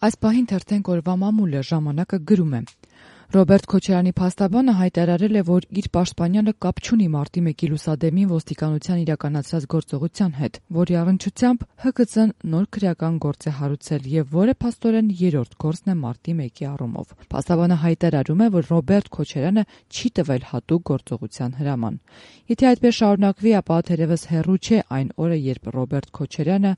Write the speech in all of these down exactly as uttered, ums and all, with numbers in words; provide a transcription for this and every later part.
Այս պահին թերթենք օրվա մամուլը ժամանակը գրում է. Ռոբերտ Քոչարյանի փաստաբանը հայտարարել է, որ իր պաշտպանյալը կապ չունի մարտի մեկի լուսադեմին ոստիկանության իրականացրած գործողության հետ, որի առնչությամբ Հ K Ծ-ն նոր քրեական գործ է հարուցել եւ որը փաստորեն երրորդ գործն է մարտի մեկի առումով։ Փաստաբանը հայտարարում է, որ Ռոբերտ Քոչարյանը չի տվել հատուկ գործողության հրաման։ Եթե այդպես շարունակվի, ապա թերևս հեռու չէ այն օրը, երբ Ռոբերտ Քոչարյանը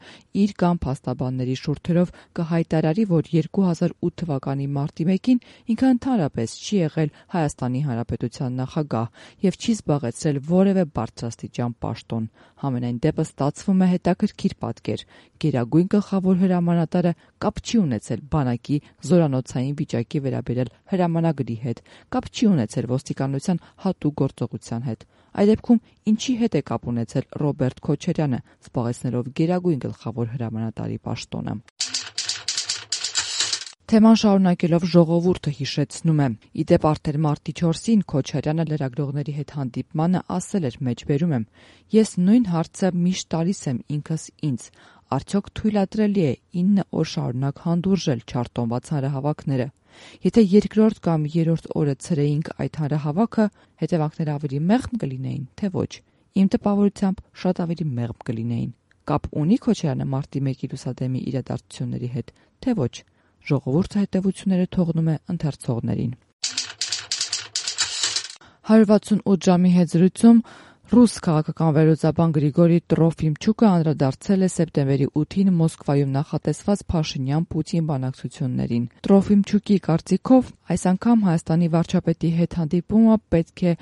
իր կամ փաստաբանների շուրթերով կհայտարարի, որ երկու հազար ութ թվականի մարտի մեկին ինքը ընդհանրապես չի եղել Հայաստանի Հանրապետության նախագահ եւ չի զբաղեցրել որևէ բարձրաստիճան պաշտոն։ Համենայն դեպս ստացվում է հետաքրքիր պատկեր։ Գերագույն գլխավոր հրամանատարը կապ չի ունեցել բանակի զորանոցային վիճակի վերաբերյալ հրամանագրի հետ, կապ չի ունեցել ոստիկանության հատուկ գործողության հետ։ Այդ դեպքում ինչի հետ է կապ ունեցել Ռոբերտ Քոչարյանը, զբաղեցնելով գերագույն գլխավոր հրամանատարի պաշտոնը։ Թեման շարունակելով ժողովուրդը հիշեցնում է. Ի դեպ արդեն մարտի չորսին Քոչարյանը լրագրողների հետ հանդիպմանը ասել էր, մեջբերում եմ. ես նույն հարցը միշտ տալիս եմ ինքս ինձ. արդյոք թույլատրելի է ինը օր շարունակ հանդուրժել չարտոնված հանրահավաքները։ Եթե երկրորդ կամ երրորդ օրը ցրեինք այդ հանրահավաքը, հետևանքները ավելի մեղմ կլինեին, թե ոչ։ Իմ տպավորությամբ շատ ավելի մեղմ կլինեին։ Կապ ունի Քոչարյանը մարտի մեկի լուսադեմի իրադարձությունների հետ, թե ոչ։ Ժողովուրդը հետևությունները թողնում է ընթերցողներին։ հարյուր վաթսունութ ժամի հետ զրույցում ռուս քաղաքական վերլուծաբան Գրիգորի Տրոֆիմչուկը անդրադարձել է սեպտեմբերի ութին Մոսկվայում նախատեսված Փաշինյան-Պուտին բանակցություններին։ Տրոֆիմչուկի կարծիքով այս անգամ Հայաստանի վարչապետի հետ հանդիպումը պետք է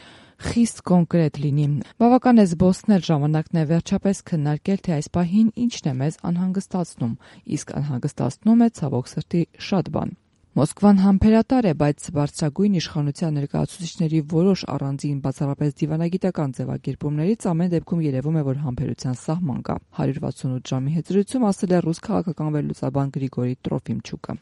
խիստ կոնկրետ լինի։ Բավական է զբոսնել, ժամանակն է վերջապես քննարկել, թե այս պահին ինչն է մեզ անհանգստացնում, իսկ անհանգստացնում է ցավոք սրտի շատ բան։ Մոսկվան համբերատար է, բայց բարձրագույն իշխանության ներկայացուցիչների որոշ առանձին բացառապես դիվանագիտական ձևակերպումներից ամեն դեպքում երևում է, որ համբերության սահման կա։ հարյուր վաթսունութ ժամի հետ զրույցում ասել է ռուս քաղաքական վերլուծաբան Գրիգորի Տրոֆիմչուկը։